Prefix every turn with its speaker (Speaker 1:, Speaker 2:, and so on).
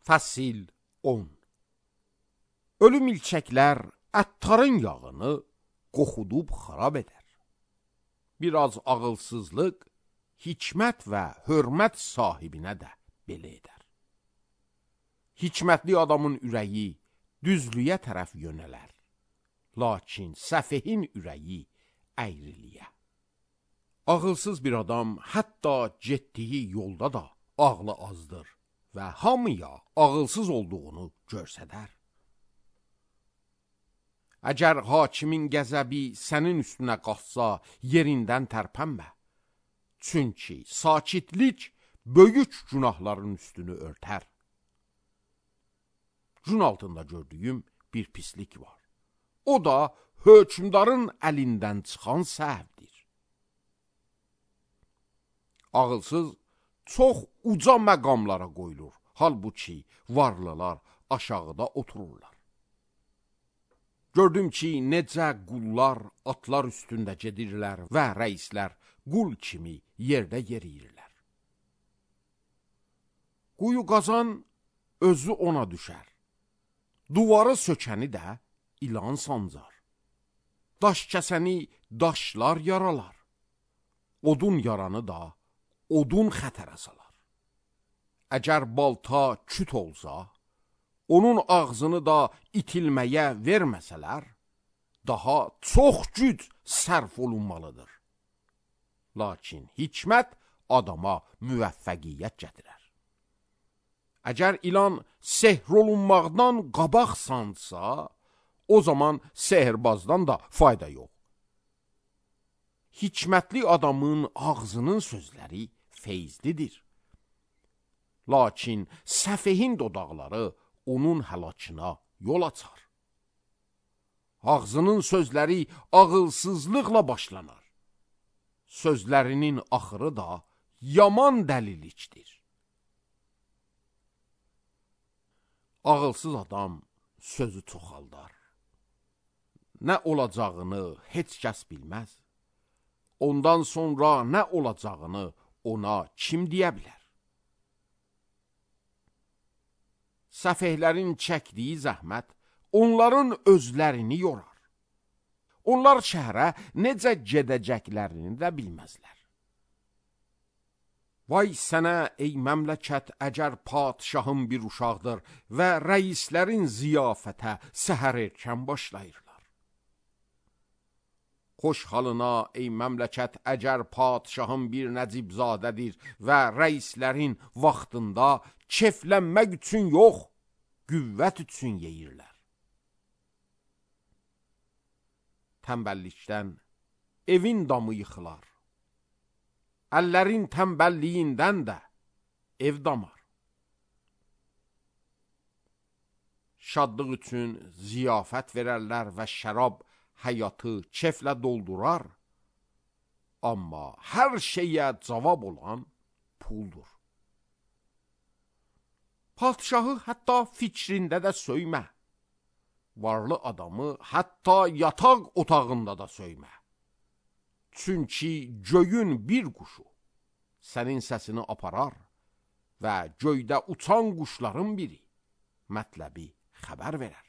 Speaker 1: Fəsil 10. Ölü milçəklər əttarın yağını qoxudub xarab edər. Biraz ağılsızlıq, hikmət və hörmət sahibinə də belə edər. Hikmətli adamın ürəyi düzlüyə tərəf yönələr, lakin səfehin ürəyi əyriliyə. Ağılsız bir adam hətta getdiyi yolda da ağlı azdır və hamıya ağılsız olduğunu görsədər. Əgər hakimin qəzəbi sənin üstünə qalxsa, yerindən tərpənmə. Çünki sakitlik böyük günahların üstünü örtər. Gün altında gördüyüm bir pislik var. O da hökmdarın əlindən çıxan səhvdir. Ağılsız çox uca məqamlara qoyulur, halbuki varlılar aşağıda otururlar. Gördüm ki, necə qullar atlar üstündə gedirlər və rəislər qul kimi yerdə yeriyirlər. Quyu qazan özü ona düşər. Duvarı sökəni də ilan sancar. Daş kəsəni daşlar yaralar. Odun yaranı da odun xətərə salar. Əgər balta küt olsa, onun ağzını da itilməyə verməsələr, daha çox güc sərf olunmalıdır. Lakin hikmət adama müvəffəqiyyət gətirər. Əgər ilan sehr olunmaqdan qabaq sansa, o zaman sehirbazdan da fayda yox. Hikmətli adamın ağzının sözləri feyzlidir. Lakin səfehin dodaqları onun həlakına yol açar. Ağzının sözləri ağılsızlıqla başlanar. Sözlərinin axırı da yaman dəlilikdir. Ağılsız adam sözü çoxaldar. Nə olacağını heç kəs bilməz. Ondan sonra nə olacağını ona kim deyə bilər? Səfehlərin çəkdiyi zəhmət onların özlərini yorar. Onlar şəhərə necə gedəcəklərini də bilməzlər. Vay sənə ey məmləkət, əgər padşahın bir uşaqdır və rəislərin ziyafətə səhər erkən başlayırlar. Xoş halına ey məmləkət, əgər padşahın bir nəcibzadədir və rəislərin vaxtında keflənmək üçün yox, qüvvət üçün yeyirlər. Tənbəllikdən evin damı yıxılar. Əllərin tənbəlliyindən də ev damar. Şadlıq üçün ziyafət verərlər və şərab həyatı keflə doldurar. Amma hər şeyə cavab olan puldur. Padşahı hətta fikrində də söymə. Varlı adamı hətta yataq otağında da söymə. Çünki göyün bir quşu sənin səsini aparar və göydə uçan quşların biri mətləbi xəbər verər.